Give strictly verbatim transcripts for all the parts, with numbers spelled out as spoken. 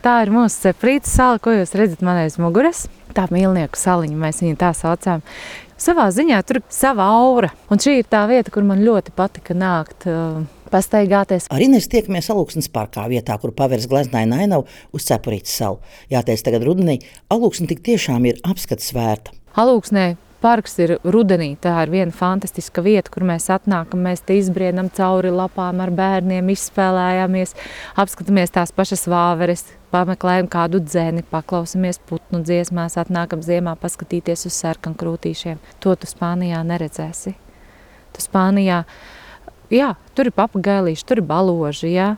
Tā ir mūsu Ceprītes sala, ko jūs redzat man aiz muguras. Tā mīlnieku saliņa, mēs viņu tā saucām. Savā ziņā tur ir sava aura. Un šī ir tā vieta, kur man ļoti patika nākt, uh, pastaigāties. Ar Inesu tiekamies Alūksnes parkā, vietā, kur pavērs gleznaina ainava uz Cepurītes salu. Jāteic, tagad rudenī Alūksne tik tiešām ir apskats vērta. Alūksnē parks ir rudenī. Tā ir viena fantastiska vieta, kur mēs atnākam, mēs te izbrienam cauri lapām ar bērniem, izspēlējāmies, apskatāmies tās pašas vāveres, pameklējam kādu dzeni, paklausamies putnu dziesmās, atnākam ziemā paskatīties uz sarkankrūtīšiem. To tu Spānijā neredzēsi. Tu Spānijā, jā, tur ir papagailīši, tur ir baloži, jā,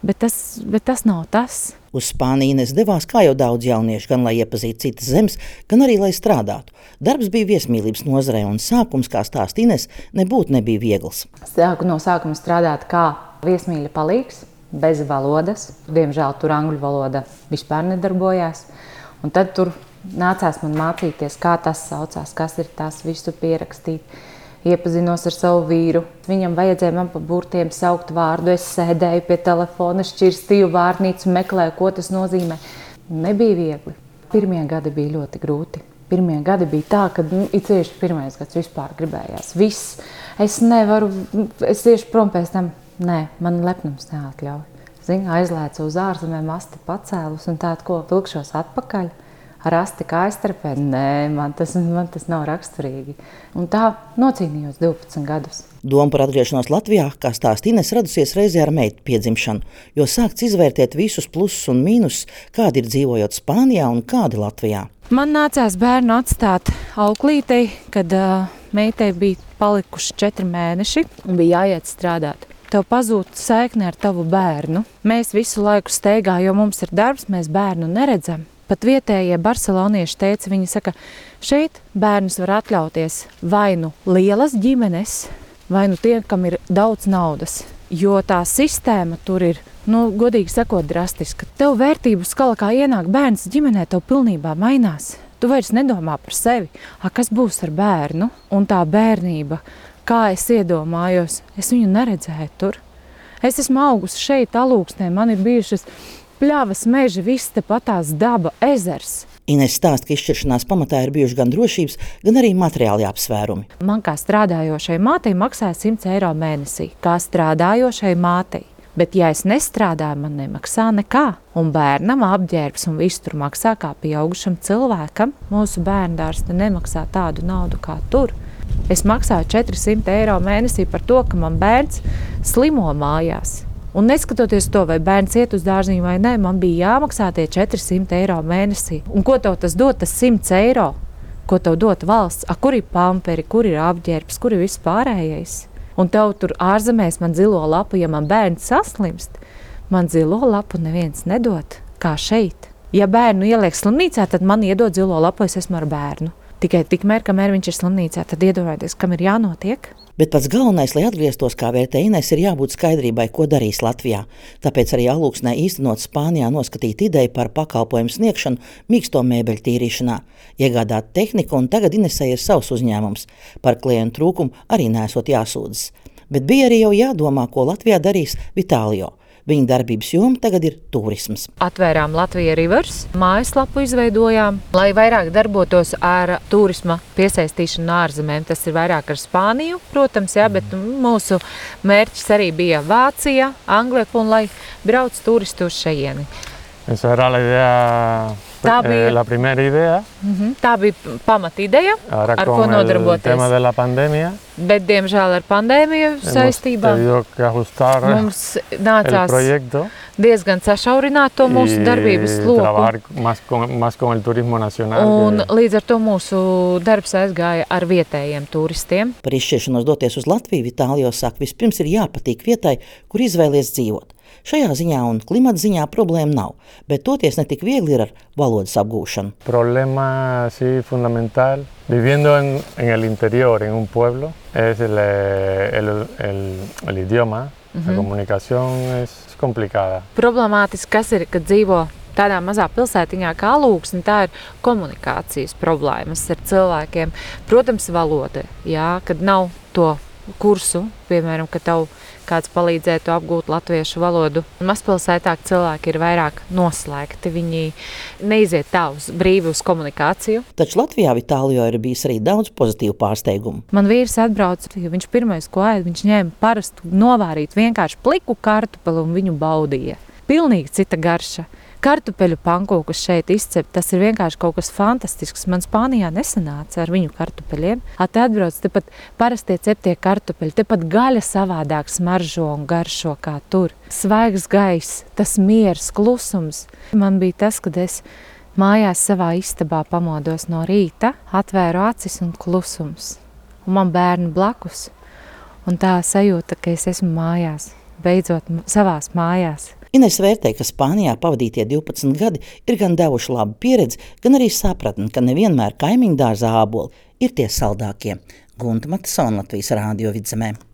bet tas, bet tas nav tas. Uz Spāniju Inese devās, kā jau daudz jauniešu, gan lai iepazītu citas zemes, gan arī lai strādātu. Darbs bija viesmīlības nozarē, un sākums, kā stāsta Inese, nebūtu nebija viegls. Sāku no sākuma strādāt kā viesmīļa palīgs, bez valodas. Diemžēl tur angļu valoda vispār nedarbojās. Un tad tur nācās man mācīties, kā tas saucās, kas ir tas visu pierakstīt. Iepazinos ar savu vīru. Viņam vajadzēja man pa burtiem saukt vārdu. Es sēdēju pie telefona, šķirstīju vārnīcu, meklēju, ko tas nozīmē. Nebija viegli. Pirmie gadi bija ļoti grūti. Pirmie gadi bija tā, ka nu, it tieši pirmais gads vispār gribējās. Viss. Es nevaru, es tieši prom pēc tam. Nē, man lepnums neatļauj. Zini, aizlēcu uz ārzemēm, asti pacēlus un tādu, ko vilkšos atpakaļ. Ar asti kājstrepē, nē, man tas, man tas nav raksturīgi. Un tā nocīnījos divpadsmit gadus. Doma par atgriešanos Latvijā, kā stāsta Inese, radusies reizē ar meitu piedzimšanu, jo sākts izvērtēt visus plusus un mīnusus, kādi ir dzīvojot Spānijā un kādi Latvijā. Man nācās bērnu atstāt auklītei, kad uh, meitai bija palikuši četri mēneši un bija jāiet strādāt. Tev pazūd saikne ar tavu bērnu. Mēs visu laiku steigā, jo mums ir darbs, mēs bērnu neredzam. Pat vietējie barcelonieši teica, viņi saka, šeit bērnus var atļauties vai nu lielas ģimenes, vai nu tie, kam ir daudz naudas. Jo tā sistēma tur ir, nu, godīgi sakot, drastiska. Tev vērtību skala, kā ienāk bērns ģimenē, tev pilnībā mainās. Tu vairs nedomā par sevi, a, kas būs ar bērnu. Un tā bērnība, kā es iedomājos, es viņu neredzēju tur. Es esmu augusi šeit, Alūksnē, man ir bijušas pļavas, meži, viss tepatās daba, ezers. Inese stāsta, ka izšķiršanās pamatā ir bijuši gan drošības, gan arī materiāli apsvērumi. Man kā strādājošai mātei maksāja simts eiro mēnesī, kā strādājošai mātei. Bet ja es nestrādāju, man nemaksā nekā. Un bērnam apģērbs un viss tur maksā kā pieaugušam cilvēkam. Mūsu bērndārs te nemaksā tādu naudu kā tur. Es maksāju četrsimt eiro mēnesī par to, ka man bērns slimo mājās. Un neskatoties to, vai bērns iet uz dārziņu vai nē, man bija jāmaksā tie četrsimt eiro mēnesī. Un ko tev tas dod, tas simts eiro? Ko tev dod valsts? A, kur ir pamperi, kur ir apģērbs, kur ir viss pārējais? Un tev tur ārzemēs man zilo lapu, ja man bērns saslimst, man zilo lapu neviens nedod, kā šeit. Ja bērnu ieliek slimnīcā, tad man iedod zilo lapu, es esmu ar bērnu. Tikai tikmēr, kamēr viņš ir slimnīcā, tad iedomājieties, kam ir jānotiek. Bet pats galvenais, lai atgrieztos, kā vērtē Inese, ir jābūt skaidrībai, ko darīs Latvijā. Tāpēc arī Alūksnē īstenot Spānijā noskatīt ideju par pakalpojumu sniegšanu mīksto mēbeļu tīrīšanā, iegādāt tehniku, un tagad Inesei ir savs uzņēmums. Par klientu trūkumu arī nesot jāsūdzas. Bet bija arī jau jādomā, ko Latvijā darīs Vitālio. Viņa darbības joma tagad ir turisms. Atvērām Latvija Rivers, mājaslapu izveidojām, lai vairāk darbotos ar turisma piesaistīšanu ārzemēm. Tas ir vairāk ar Spāniju, protams, jā, bet mūsu mērķis arī bija Vācija, Anglija, un lai brauc turisti uz šejieni. Esa era la idea, Tā bija, eh, la primera idea. uh-huh, tā bija pamatideja, Ahora ar ko con el nodarboties. tema de la pandemia, Bet, diemžēl, ar pandēmiju hemos saistībā tenido que ajustar mums el nācās proyecto diezgan sašaurināt to mūsu y darbības loku. trabajar más con, más con el turismo nacional. Un que- līdz ar to mūsu darbs aizgāja ar vietējiem turistiem. Par izšķiršanos doties uz Latviju Vitālio saka, vispirms ir jāpatīk vietai, kur izvēlies dzīvot. Šajā ziņā un klimata ziņā problēma nav, bet toties ne tik viegli ir ar valodas apgūšanu. Problema así fundamental, viviendo en, en el interior, en un pueblo, es el, el, el, el idioma. Uh-huh. La comunicación es complicada. Problemātiski, kas ir, kad dzīvo tādā mazā pilsētiņā kā Alūksne, tā ir komunikācijas problēmas ar cilvēkiem. Protams, valoda, jā, kad nav to kursu, piemēram, ka tev kāds palīdzētu apgūt latviešu valodu. Mazpilsētā cilvēki ir vairāk noslēgti, viņi neiziet tā uz brīvi uz komunikāciju. Taču Latvijā Vitālijo ir bijis arī daudz pozitīvu pārsteigumu. Man vīrs atbrauca, jo viņš pirmais, ko ēd, viņš ņēma parastu novārīt vienkārši pliku kartupeli un viņu baudīja. Pilnīgi cita garša. Kartupeļu pankūkus šeit izcept, tas ir vienkārši kaut kas fantastisks. Man Spānijā nesanāca ar viņu kartupeļiem. Te atbrauc, tepat parastie ceptie kartupeļi, tepat gaļa savādāk smaržo un garšo kā tur. Svaigs gaiss, tas miers, klusums. Man bija tas, kad es mājās savā istabā pamodos no rīta, atvēru acis un klusums. Un man bērni blakus. Un tā sajūta, ka es esmu mājās, beidzot savās mājās. Ines vērtē, ka Spānijā pavadītie divpadsmit gadi ir gan devuši labu pieredzi, gan arī sapratni, ka nevienmēr kaimiņu dārzā āboli ir tie saldākie. Gunta Matisona, Latvijas Rādio Vidzemē.